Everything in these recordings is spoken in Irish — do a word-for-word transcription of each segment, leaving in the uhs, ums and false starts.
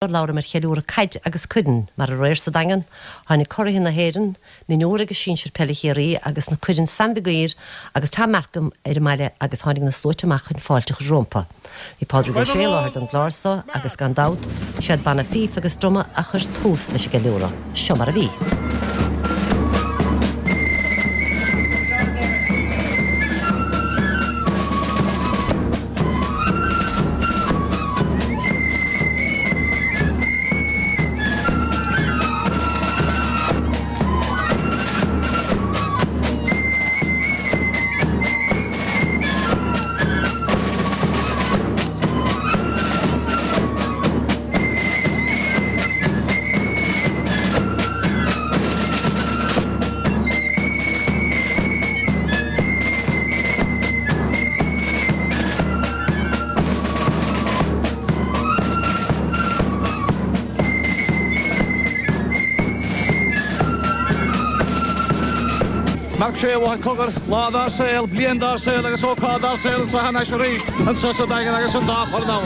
Labhraim ar cheiliúradh caide agus cuireann mar aréir sa Daingean, tháinig curaithe na hÉireann, mionúir agus sinsir peile Chiarraí agus na cuireann Sam Mhig Uidhir agus Tom Markham ar an mbaile agus tháinig na sluaite amach chun fáilte a chur rompu. Bhí Pádraig Ó Sé i láthair don gclár seo agus gan dabht siad banna fífe agus druma a chuir tús leis an gceiliúradh. Seo mar a bhí. Marc Sé bháid cogar lá dár saol, bliain dár saol agus ócáid dár saol anseo thar n-ais arís anseo sa Daingean agus an dá chorn ann.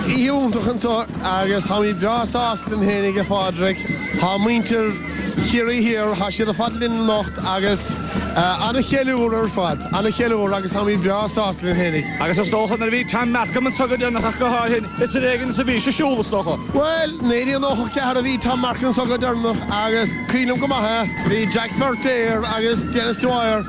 Oíche iontach anseo agus táimid breá sásta linn féinig a Phádraig. Tá muintir Chiarraí Thiar, tá siad ar fad linn anocht agus an-cheiliúradh ar fad, an-cheiliúradh agus táimid breá sásta linn féinig. Agus is dócha nuair a bhí Tom Markham anseo go deireanach ach go háirithe, is ar éigean is a bhí sé ag siúl is dócha. Bhuel, naoi déag nócha ceathair a bhí Tom Markham anseo go deireanach agus cuimhin liom go maith é, bhí Jack Feirtéar agus Dennis Dwyer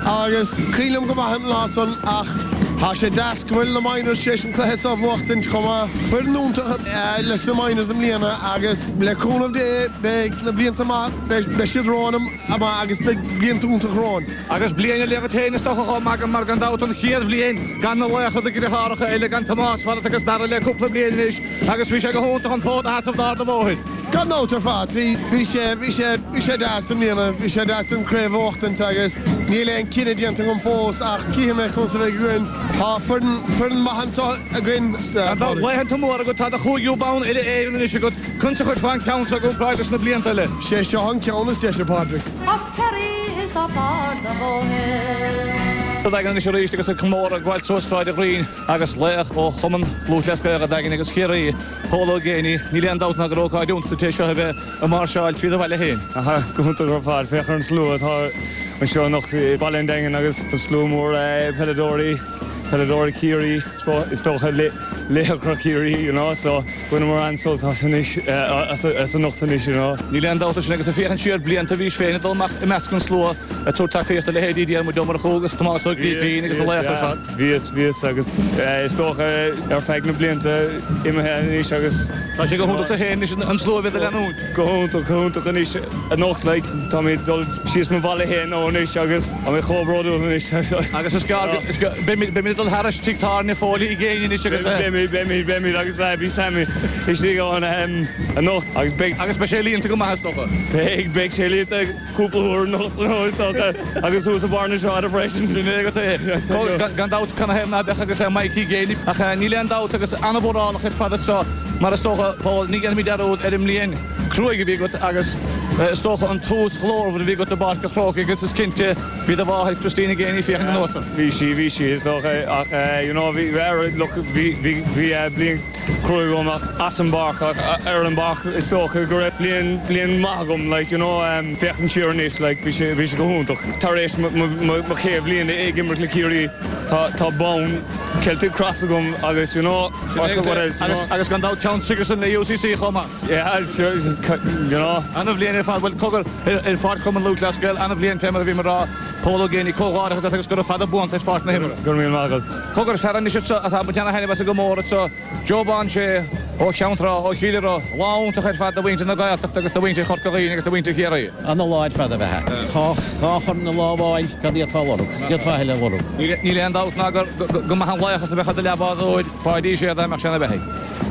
agus cuimhin liom go maith an lá san ach tá sé deas go bhfuil na Minors tar éis an cluiche seo a bhuachtaint chomh maith. Foireann iontach leis na Minors i mbliana agus le cúnamh Dé beidh na blianta maith, beidh siad romhainn amach agus beidh blianta iontach romhainn. Agus bliain ar leith agat féin is dócha chomh maith mar gan dabht an chéad bhliain gan na laochra na deartháireacha eile gan Tomás fad agus Dara le cúpla bliain anois agus bhí sé go hiontach an fód a sheasamh d'Ard an Bhóthair. Gan dabht ar fad, bhí, bhí sé, bhí sé, bhí sé deas i mbliana, bhí sé deas an craobh a bhuachtaint agus níl aon cinneadh déanta agam fós ach cífidh mé conas a bheidh againn. Tá foireann, foireann maith anseo againn. Gan dabht, laethanta móra agat, tá do chúigiú bonn uile-Éireann anois agat, conas a chuirfeá an ceann seo i gcomparáid leis na blianta eile? Sé seo an ceann is deise, Pádraig. Tá Ciarraí is tá Ard an Bhóthair. Sa Daingean anois arís agus ag comóradh ag gabháil suas Sráid an Ghreen agus laoch ó Chumann Lúthchleas Gael an Daingin agus Chiarraí, Pól Ó Géibheannaigh, níl aon dabht ná gur ócáid iontach é seo a bheith ag máirseáil tríd an bhaile féin. Aha, go hiontach ar fad. Féach ar an slua atá anseo anocht i Baile an Daingin agus tá slua mór peileadóirí, peileadóirí Chiarraí, is dócha laochra Chiarraí, you know, so bhaineamar an-sult as anois, as anocht anois, you know. Níl aon dabht sin agus ag féachaint siar blianta bhís féin ag dul amach i measc an slua ag tabhairt tacaíochta do leithéidí Diarmuid Ó Murchú agus Tomás Ó Grifín agus na laochra ar fad. Bhíos, bhíos agus is dócha ar feadh na blianta imithe anois agus. Tá sé go hiontach duit féin anois an slua a bheith do leanúint. Go hiontach, go hiontach anois anocht like táimid ag dul síos mo bhaile féin ó anois agus tá mé chomh bródúil anois. Agus is gearr, is gearr, beimid, beimid ag dul thairis tigh tábhairne Foley i gcéin anois agus. Beimid, beimid, beimid agus bhí Sammy istigh ann anocht agus beidh. Agus beidh sé líonta go maith is dócha. Beidh, beidh sé líonta cúpla uair anocht is dócha agus thuas i mbarr na sráide freisin. Sin é agat é. Gan dabht canathaobh ná beadh agus Mikey Geaney ach níl aon dabht agus an-mhórálach ar fad anseo mar is dócha, Paul, ní dhéanfaimid dearúd ar an mbliain cruaidh a bhí agat agus is dócha an tús ghlórmhar a bhí agat i bPáirc an Chrócaigh agus is cinnte bhí do mháthair Christina Geaney ag féachaint anuas ort. Bhí sí, bhí sí is dócha ach you know bhí, look, bhí, bhí, bhí bliain cruaidh agam ach as an bpáirc ach ar an bpáirc is dócha go raibh bliain, bliain maith agam like you know féachaint siar anois like bhí sé, bhí sé go hiontach. Tar éis mo, mo, mo, mo chéad bhliain ag imirt le Ciarraí tá, tá bonn Celtic Cross agam agus you know what else you know. Agus gan dabht ceann Sigerson le UCC chomh maith. Yeah, sure, you know. An-bhliain ar fad, bhuel cogar ar pháirc Chumann Lúthchleas Gael, an-bhliain fé mar a bhí mé ag rá, Pól Ó Géibheannaigh, comhghairdeachas leat agus gura fada buan tú ar pháirc na himeartha. Go raibh míle maith agat. Cogar, fear anois anseo atá ag baint ana-thaitneamh as an gcomóradh anseo, Joe Bán Sé ó Cheann Trá, ó Chill Iro, lá iontach ar fad do mhuintir na Gaeltachta agus do mhuintir Chorca Dhuibhne agus do mhuintir Chiarraí. Ana-lá ar fad ab ea é. Dhá chorn i lá amháin, cad a d'fhéadfá a lorg? D'fhéadfá a thuilleadh a lorg. Níl aon dabht ná go maith an laochas a bheadh i do leathbhádóir, Páidí Sé dá mbeadh sé ina bheathaidh.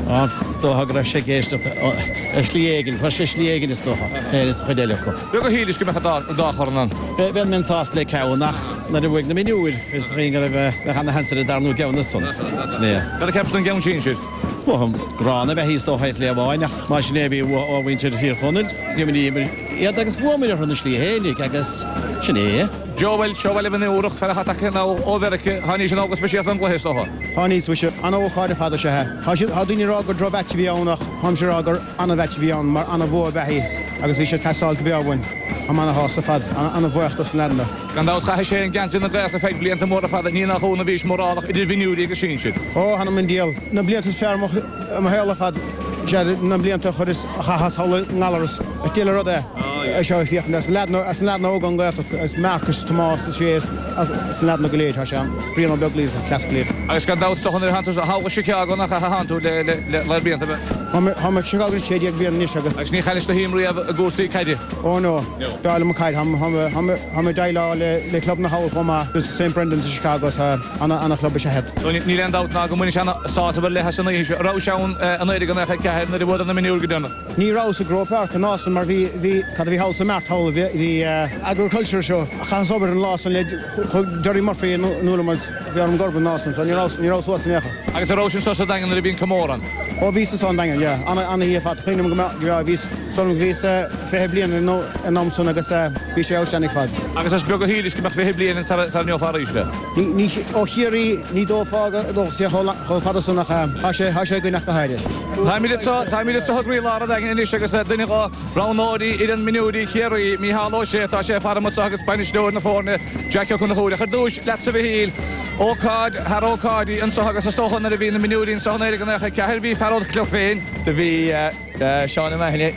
Is dócha go raibh sé ag éisteacht ar shlí éigin, fuair sé slí éigin is dócha, féin is a chuid eile acu. Beag a shílis go mbeadh an dá chorn ann. Bheinn bheinn sásta le ceann ach nuair a bhuaigh na mionúir, bhí fhios againn go raibh bheadh ana-sheans ar an darna gceann ansan. Sin é. Cad a cheapais don gceann sinsir? Dócha gránna a bheith is dócha ar shlí amháin ach más sin é a bhí ó mhuintir Thír Chonaill, d'imríomar iad agus bhuamar orthu ina slí fhéinig agus sin é. Joe bhuel, seo bhaile mhionúrach, fear atá tagtha ó Mheiriceá, tháinig sin go speisialta don gcluiche is dócha. Tháinig bhí sé an-ócáid ar fad is ea é. Tá siad, tá daoine ag rá gur droch-mheaits a bhí ann ach táimse ag rá gur an-mheaits a bhí ann mar an-bhua ab ea é agus bhí sé ag teastáil go breá uainn. Táim ana-shásta ar fad, ana-bhuíoch dos na leaideanna. Gan dabht chaith sé an geansaí na Gaeltachta feadh blianta móra fada, ní nach ionadh bhís mórálach idir mhionúirí agus sinsir. Ó, th'anam 'on diabhal, na blianta is fearr i mo shaol ar fad is ea na blianta a chuireas, a chaitheas thall i nGallaras. Is diail an rud é. É seo ag féachaint as na leaideanna, as na leaideanna óga ón Ghaeltacht, as Marcus, Tomás, is é, as na leaideanna go léir, tá sé ann. Brian Ó Beaglaoich, an cleas go léir. Agus gan dabht is dócha nuair a thánn tú thall go Chicago nach ea a thánn tú le, le, le, le blianta beaga. Tá mé, tá mé i Chicago anois sé déag bliain anois agus. Agus ní chaillis do shuim riamh i gcúrsaí caide? Ó no. B'fhearr liom an chaid. Tá, tá mé, tá mé, tá mé ag déileáil le, le club na thall chomh maith, agus Saint Brendan's i Chicago, so ana, ana chlub is ea iad. So níl aon dabht ná go mbainfidh sé ana sásamh ar leith as an oíche seo. An rabhais ann i naoi déag nócha a ceathair nuair a bhuadar na mionúir go deireanach? Ní rabhas i Croke Park an lá san mar bhí, bhí, cad a bhí thall sa Mart thall, bhí, bhí agriculture show. Chaitheas obair an lá san le, chuaigh Gerry Murphy in iúl liom agus bhí orm gurb an lá san, so ní rabhas, ní rabhas thuas in aon chor. Agus an rabhais anso sa Daingean nuair a bhí an comóradh ann? Ó bhíos anso an Daingean, yeah. Ana, ana oíche ar fad. Cuimhním go mbeadh, go mbeadh, bhíos, san, bhíos fiche bliain in, in am san agus bhí sé outstanding ar fad. Agus is beag a shílis go mbeadh fiche bliain sara, sara ngeofá arís é. Ní, ní, ó Chiarraí, ní dóchfá go dtógfadh sé chomh, chomh fada san ach tá sé, tá sé againn ach go háirithe. Táimid anso, táimid anso i gcroílár an Daingin anois agus duine de roghnóirí fhoireann mionúirí Chiarraí, Mícheál Ó Sé, tá sé ag faire anseo agus bainisteoir na foirne, Jack Ó Conchúir. Ach ar dtús, leatsa a Mhichíl, ócáid thar ócáidí anseo agus is dócha nuair a bhí na mionúirí anseo in naoi déag nócha a ceathair bhí fear ón gclub féin. Do bhí Seán O'Mahony,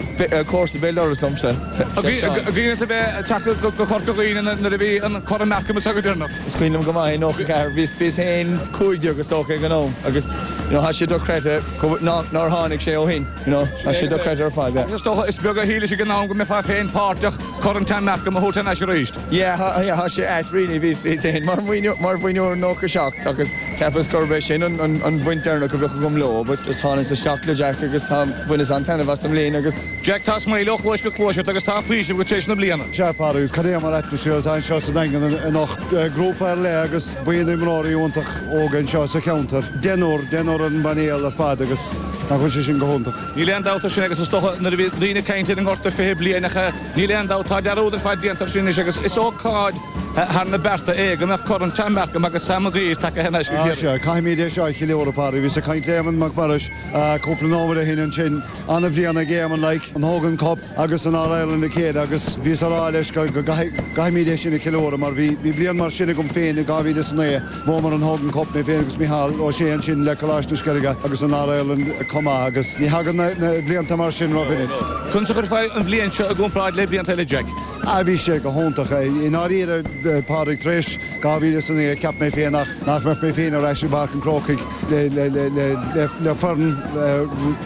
comharsa béal dorais liomsa. An gcuimhin leat a bheith ag teacht go Corca Dhuibhne nuair a bhí an Corn Markham anseo go deireanach? Is cuimhin liom go maith i nócha ceathair, bhíos féin cúig déag is dócha ag an am agus you know tá sé dochreidte nár tháinig sé ó shin, you know, tá sé dochreidte ar fad, yeah. Agus is dócha, is beag a shílis ag an am go mbeifeá féin páirteach Corn Tam Markham a thabhairt thar n-ais arís. Yeah, yeah, tá sé ait really, bhíos bhíos féin mar mar mhionúr i nócha seacht agus cheapas gurb é sin an an an bhaint deireanach a bheadh agam leo, but just thánas isteach le Jack agus tá bhaineas an-taitneamh as an mbliain agus. Jack, tá smile ó chluais go cluais ort agus tá faoiseamh agat tar éis na bliana. Sea, Pádraig, agus cad é mar atmaisféar atá anseo sa Daingean anocht. Grúpa ar leith agus buíon imreoirí iontach óga anseo sa cheantar. Deichniúr, deichniúr ar an bpainéal ar fad agus nach bhfuil sé sin go hiontach. Níl aon dabht air sin agus is dócha nuair a bhí daoine ag caint ar an ngorta fiche bliain ach níl aon dabht tá dearúd ar fad déanta air sin anois agus is ócáid thar na bearta é go mbeadh Corn Tam Markham agus Sam Maguire tagtha thar n-ais go Ah Ciarraí. sea, caithfimid é seo a cheiliúradh, Pádraig. Bhíos ag caint le Éamonn Mac Muiris cúpla nóiméad ó shin ansin. An-bhliain ag Éamonn like, an Hogan Cup agus an All-Ireland le chéile agus bhíos á rá leis go gcaithfimid é sin a cheiliúradh mar bhí bhí bliain mar sin agam féin i dhá mhíle is a naoi. Bhuamar an Hogan Cup, mé féin agus Micheál Ó Sé ansin le Coláiste na Sceilge agus an All-Ireland chomh maith agus ní thagann na blianta mar sin rómhinic. Conas a chuirfeá an bhliain seo i gcomparáid le blianta eile, Jack? Ah bhí sé go hiontach. I ndáiríre, Pádraig, tar éis dhá mhíle is a naoi cheap mé féin nach nach mbeadh mé féin ar ais i bPáirc an Chrócaigh le le le le le le foireann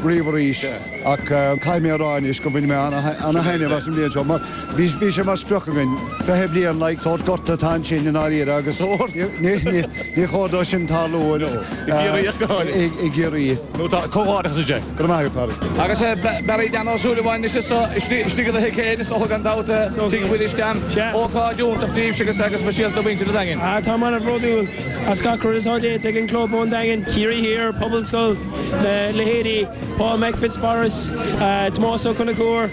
riamh arís ach caithfidh mé a rá anois go bhain mé ana-thaitneamh as an mbliain seo mar bhí bhí sé mar sprioc againn fiche bliain like sórt gorta atá ansin i ndáiríre agus ní ní ní chóir dó sin tarlú I gCiarraí ach go háirithe. i gCiarraí. Nó tá comhghairdeachas a Jack. Go raibh maith agat, Pádraig. Agus Barry Dan Ó Súilleabháin anois anseo istigh i do thigh féin is dócha gan dabht Tigh Mhuiris Dan. Ócáid iontach daoibhse agus agus speisialta do mhuintir an Daingin. Ah tá mé an-bhródúil as gach rud atá déanta ag an gclub ón Daingean, Ciarraí Thiar, Pobalscoil, na leithéidí Paul Mac Fitzmaurice, Tomás Ó Conchúir,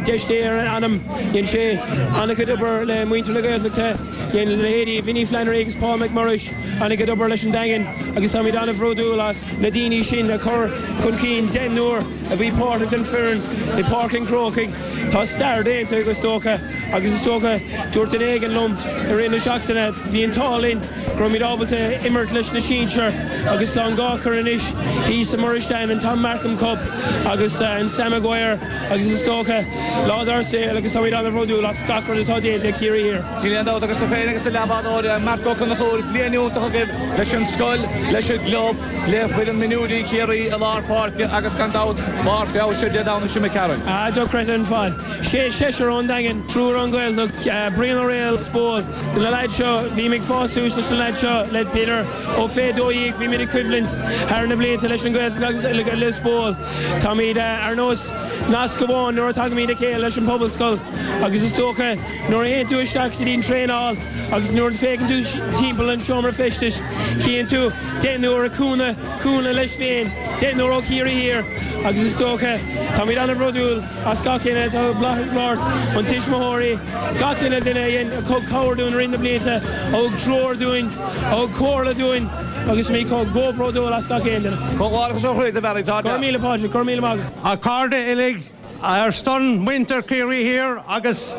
deis Dé ar a anam, dhein sé an-chuid obair le muintir na Gaeltachta, dhein leithéidí Vinnie Flannery agus Paul McMurrish an-chuid obair leis an Daingean agus táimid an-bhródúil as na daoine sin a chur chun cinn deichniúr a bhí páirteach den foireann i bPáirc an Chrócaigh. Tá stair déanta is dócha agus is dócha dúirt duine éigin liom i rith na seachtaine bhí an t-ádh linn go raibh muid ábalta imirt leis na sinsir agus tá an dhá chorn anois thíos i Muiristan an Tom Markham Cup agus an Sam Maguire agus is dócha lá dár saol agus táimid an-bhródúil as gach rud atá déanta ag Ciarraí Thiar. Níl aon dabht agus tú féin agus do leathbhádóir Marc Ó Conchúir bliain iontach agaibh leis an scoil, leis an gclub, le foireann mionúirí Chiarraí i lár páirce agus gan dabht barr feabhais ar Dé Domhnaigh seo imigh tharainn. Ah dochreidte ar fad. Sé seisear ón Daingean, triúr ón Ghaeltacht, Brian Ó Raghallaigh as Bóil. De na leaids seo bhí ag fás suas leis na leaids seo le b'fhéidir ó fiche dó dhéag bhí muid ag coimhlint thar na blianta leis an Ghaeltacht agus le Lios Póil. Táimid ar nós nasc amháin nuair a tagaimid le chéile leis an Pobalscoil agus is dócha nuair a théann tú isteach sa díon traenáil agus nuair a féachann tú timpeall an seomra feistis cíonn tú deichniúr ag cúnamh cúnamh leis féin, deichniúr ó Chiarraí Thiar Agus is dócha táimid an-bhródúil as gach éinne atá páirt, an tuismitheoirí, gach uile duine a dhein a thug cabhair dúinn i rith na blianta, a thug treoir dúinn, a thug comhairle dúinn agus mé chomh bródúil as gach aon duine. Comhghairdeachas ó chroí a Bharry tá. Go raibh míle Pádraig, go raibh míle maith agat. A chairde uilig ar son muintir Chiarraí Thiar agus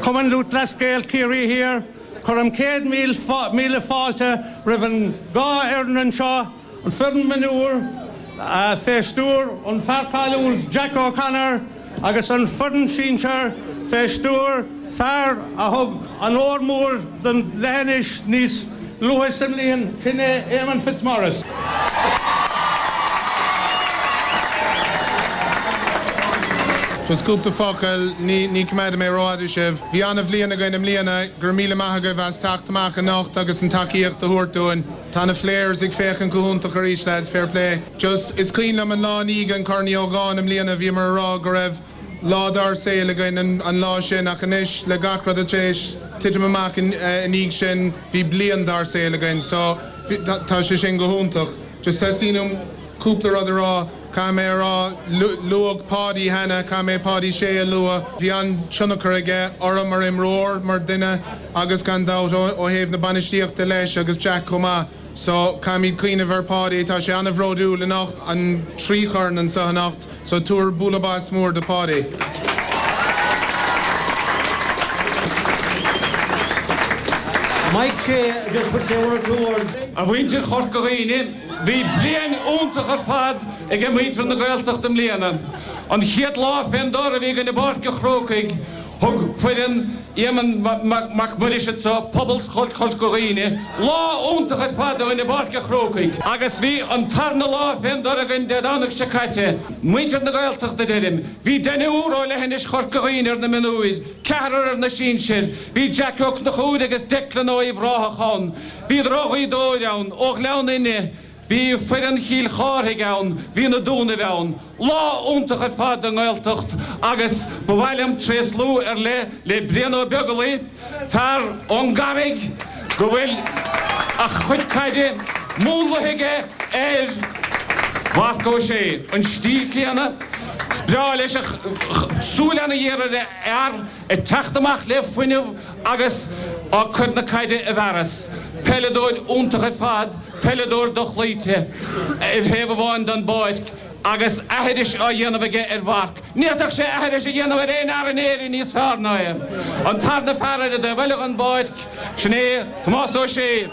Cumann Lúthchleas Gael Ciarraí Thiar, cuirim céad míle fáilte roimh an dhá fhoireann anseo, an foireann mionúr fé stiúir an fear cáiliúil Jack O'Connor agus an foireann sinsir fé stiúir fear a thug an onóir mór don leithinis níos luaithe sa mbliain, sin é Eamon Fitzmaurice. Just cúpla focal ní ní coimeádfaidh mé rófhada sibh. Bhí an-bhliain againn i mbliana go raibh míle maith agaibh as teacht amach anocht agus an tacaíocht a thabhairt dúinn. Tá na flares ag féachaint go hiontach arís lads fair play. Just is cuimhin liom an lá i ndiaidh an Corn Uí Ógáin i mbliana bhí mar rá go raibh lá dár saol againn an, an lá sin ach anois le gach rud a tréis titim amach in ndiaidh sin bhí bliain dár saol againn, so tá sé sin go hiontach. Just teastaíonn cúpla rud a rá Caithfidh mé a rá luadh Páidí cheana caithfidh mé Páidí Sé a lua, bhí an-tionchar aige orm mar imreoir mar duine agus gan dabht ó thaobh na bainistíochta leis agus Jack chomh maith. So caithfimid cuimhneamh ar Páidí tá sé an-bhródúil anocht an trí chorn anseo anocht, so tabhair bualadh bos mór do Páidí. Mike Shea just put say one or two words. A mhuintir Chorca Dhuibhne, bhí bliain iontach ar fad ag muintir na Gaeltachta i mbliana. An chéad lá fén dtor a bhí againn i bPáirc an Chrócaigh, thug foireann Éamonn Mac Muiris so Pobalscoil Chorca Dhuibhne, lá iontach ar fad i bPáirc an Chrócaigh. Agus bhí an tarna lá fén dtor againn Dé Domhnaigh seo caite, muintir na Gaeltachta deirim, bhí deichniúr ó leithinis Chorca Dhuibhne ar na mionúir, ceathrar ar na sinsir, bhí Jack Ó Conchúir agus Declan Ó Uíbh Ráthach ann, Bhí ó Ghaoth Dobhair ann, ó Ghleann Fhinne, bhí foireann Chill Chárthaigh ann, bhí na Dúnaibh ann, lá iontach ar fad i nGaeltacht agus ba mhaith liom tréaslú ar leith le Brian Ó Beaglaoich, fear ón gCarraig go bhfuil a chuid caide múnlaithe aige ar Mharc Ó Sé, an stíl céanna, is breá leis a súil an-ghéar ar fhear ag teacht amach le fuinneamh agus á cur na caide i bhfearas. Peileadóir iontach ar fad, peileadóir dochloíte ar thaobh amháin den bpáirc agus aithris á dhéanamh aige ar Mharc. Ní fhéadfadh sé aithris a dhéanamh ar aon fhear in Éirinn níos fearr ná é. An tarna fear ar an dtaobh eile den bpáirc, sin é Tomás Ó Sé.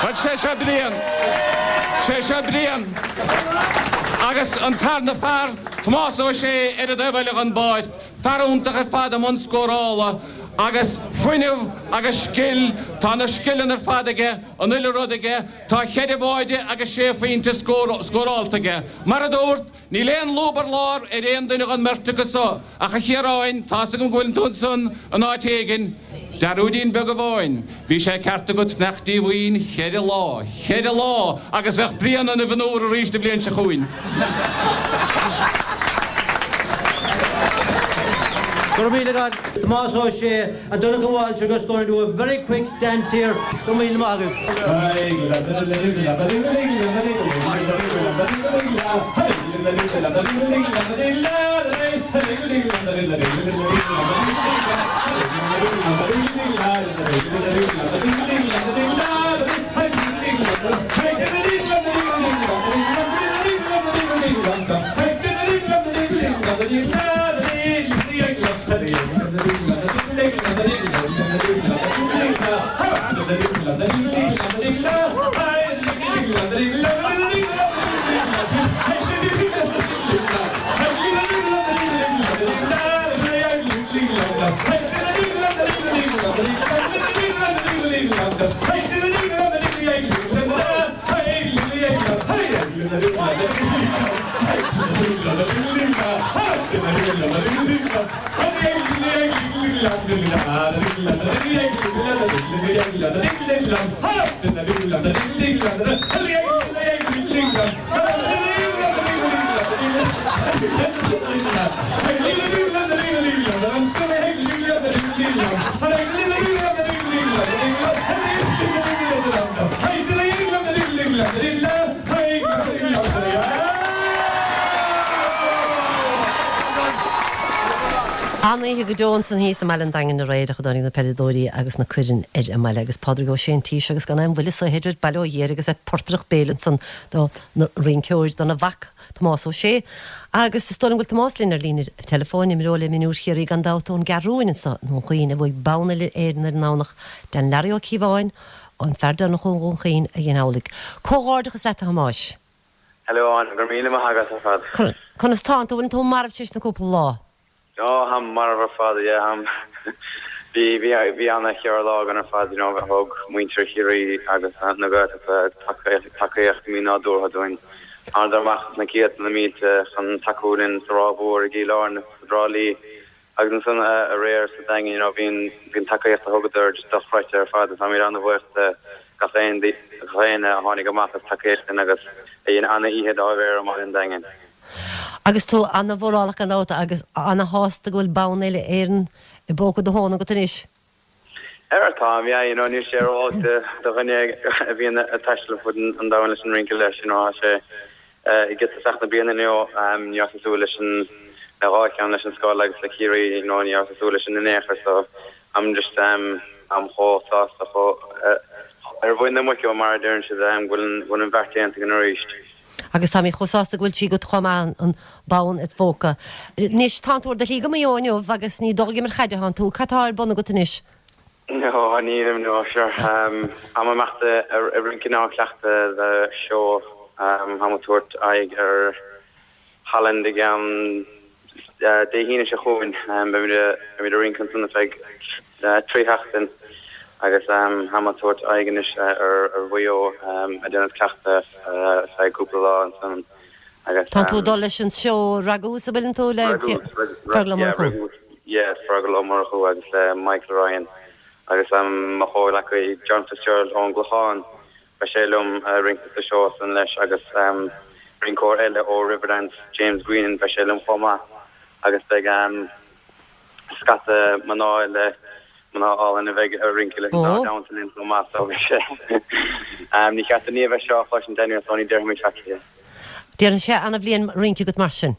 Bhuel sé seo Brian. Sé seo Brian. Agus an tarna fear Tomás Ó Sé ar an dtaobh eile den bpáirc, fear iontach ar fad i mbun scórála, agus fuinneamh agus scil, tá na scileanna ar fad aige, an uile rud aige, tá ceithre bháide agus sé phointe scóráilte aige. Mar a dúirt, níl aon lúb ar lár ar aon duine den mbeirt acu so, ach a Chiaráin, tá's agam go bhfuil tú ansan in áit éigin, dearúidín beag amháin, bhí sé ceart agat fanacht díomhaoin cheithre lá, cheithre lá, agus bheadh Brian ina mhionúr arís an bhliain seo chugainn. Go raibh míle maith agat, Tomás Ó Sé, and Donncha Walsh are just going to do a very quick dance here. Go raibh míle maith agat. An-oíche go deo ansan thíos i mbaile an Daingin aréir ach a dtáinig na peileadóirí agus na cuireann ar an mbaile agus Pádraig Ó Sé an tí agus gan aon bhuille saothair ar baile ó Dhia agus é portaireacht béil ansan do na rinceoir dona mhac Tomás Ó Sé agus is dóigh liom go bhfuil Tomás linn ar líne teileafóin imreoir le mionúir Chiarraí gan dabht ón gCeathrúin anso i nDún Chaoin a bhuaigh bonn uile Éireann ar an nDomhnach Dan Larry Ó Cíobháin an fear deireanach ó Dhún Chaoin a dhein amhlaidh. Comhghairdeachas leat a Thomáis. Hello Áine, go raibh míle maith agat ar fad. Conas tánn tú bhfuil tú marbh tar éis na cúpla lá? Ó tháim marbh ar fad yeah tháim bhí bhí bhí an-cheithre lá againn ar fad you know thug muintir Chiarraí agus na Gaeltachta tacaíocht mí-nádúrtha dúinn. Thánadar amach na céadta na mílte chun tacú linn sa Ráth Mhór i gCill Airne sa Trá Lí agus ansan aréir sa Daingean you know bhí bhí an tacaíocht a thugadar just dochreidte ar fad is táimid an-bhuíoch de gach aon gach aon a tháinig amach as tacaíocht linn agus a dhein an-oíche dá bharr i mBaile an Daingin. Agus tú an-mhórálach gan dabht agus ana-shásta go bhfuil bonn uile Éireann i bpóca do thóna agat anois. Ar tá yeah, you know, níl sé ró do dhuine a bhíonn ag taisteal fud an domhain leis an rince leis you know, sé i get na bliana neo ní súil leis an na dhá cheann leis an scoil agus le Ciarraí you know, ní súil leis an néchar so I'm just um, am chomh sásta chomh ar bhuin na muice mar a deireann siad um, bhfuil bhfuil an bheart déanta againn arís. Agus tá mé chomh sásta go bhfuil sí agat chomh maith an bonn id phóca. Anois tá tú ar do shlí go Maigh Eo inniu agus ní dul ag imirt caide atánn tú, cad tá ar bun agat anois? No, nílim no sure. Um, am amach ar ar rince ná cleachtadh le seó um, táim ag tabhairt aghaidh ar Holland ag um, uh, Dé hAoine seo chugainn um, beimid ag rince ansan feadh uh, trí sheachtain agus um, táim ag tabhairt aghaidh anois uh, ar ar Mhaigh Eo um, ag déanamh cleachtadh uh, feadh cúpla lá ansan agus Tá tú dul leis an seó Ragús a bhfuil tú le Fergal Ó Murchú. Yeah, Fergal Ó Murchú agus le Michael Ryan agus um, mo chomhghleacaí John Fitzgerald ón gClochán beidh sé liom uh, rince sa seó san leis agus um, rinceoir eile ó Riverdance James Green beidh sé liom chomh maith agus beidh um, scata mná le mná álainn a bheidh ag rince le Oh. down linn chomh maith so bhí sé um, ní cheart ní bheith seo chlois Daniel Sony deirmid fe. Déanann sé an-bhliain rince agat mar sin.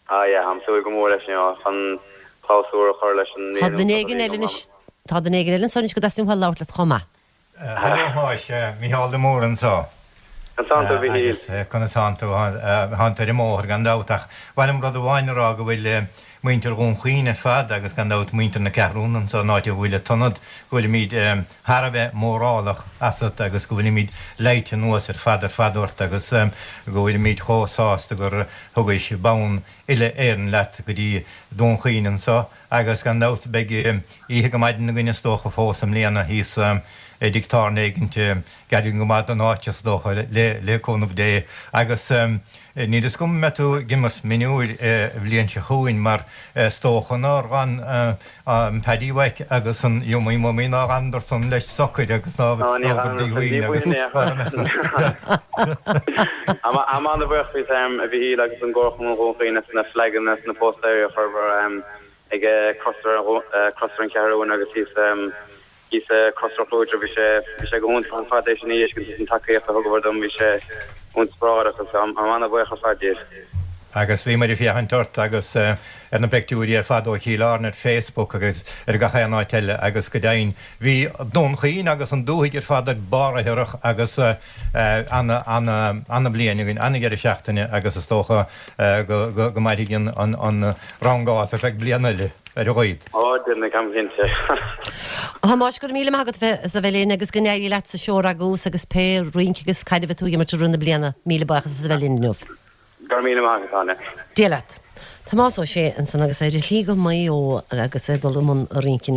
Ah yeah, táim ag súil go mór leis you chun clabhsúr a chur leis an Tá duine éigin eile anois- Tá duine éigin eile anso anois go dteastaíonn uathu labhairt leat chomh maith. Hello Thomáis, Mícheál de Mórdha anseo. Conas a Mhíchíl. Conas tánn tú tánn tú ar an mbóthar gan dabht ach bhfuil rud amháin rá go bhfuil muintir Dhún Chaoin ar fad agus gan dabht muintir na Ceathrún anseo an áit a bhfuil an t-ionad go bhfuilimid thar a bheith mórálach asat agus go bhfuilimid leite anuas ar fad ar fad ort agus go bhfuilimid chomh sásta gur thugais bonn uile Éireann leat go dtí Dún Chaoin anseo agus gan dabht beidh oíche go maidin againn is dócha fós i mbliana thíos i dtigh tábhairne éigin gar go maith don áit is dócha le le cúnamh Dé agus níl a fhios agam an mbeidh tú ag imirt mionúir bhliain seo chugainn mar is dócha nár fhan an Paddy uait agus an Yummy Mummy nár Anderson leis socair agus ná agus Am an bhuíoch faoi a bhí agus an gcomharchumann Dhún Chaoin na flaganna na póstaeir a chur ag Crosaire an Cheathrún agus thíos thíos Crosaire Chlúidre bhí sé bhí sé go hiontach ar fad é sin agus an tacaíocht a thugadar dom bhí sé iontach agus am an-bhuíoch ar fad díobh. Agus bhí muid ag féachaint ort agus ar na pictiúirí ar fad ó Chill Airne ar Facebook agus ar gach aon áit eile agus go deimhin bhí Dún Chaoin agus an dúthaigh ar fad ar barr a thuirseach agus an-bhliain againn an-deireadh seachtaine agus is dócha go go mairfidh an an rangás ar feadh bliana eile ar a laghad. Ó duine cam cinnte. Thomáis go raibh míle maith agat as a bheith linn agus go n-éirí leat sa seó Ragús agus pé rince agus caid a bheidh tú ag imirt i rith na bliana míle buíochas as a bheith linn inniu. Go raibh míle maith agat. Dia leat. Tomás Ó Sé ansan agus ar a shlí go Maigh Eo agus é dul i mbun rince.